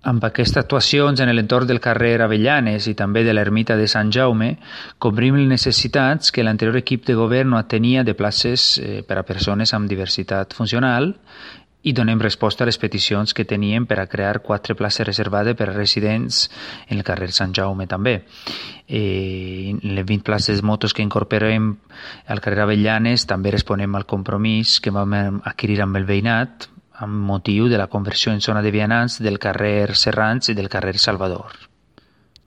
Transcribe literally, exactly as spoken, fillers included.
Amb aquestes actuacions en l'entorn del carrer Avellanes i també de l'ermita de Sant Jaume, cobrim les necessitats que l'anterior equip de govern no atenia de places eh, per a persones amb diversitat funcional i donem resposta a les peticions que tenien per a crear quatre places reservades per a residents en el carrer Sant Jaume també. Eh, les vint places motos que incorporem al carrer Avellanes també responem al compromís que vam adquirir amb el veïnat amb motiu de la conversió en zona de vianants del carrer Serrans i del carrer Salvador.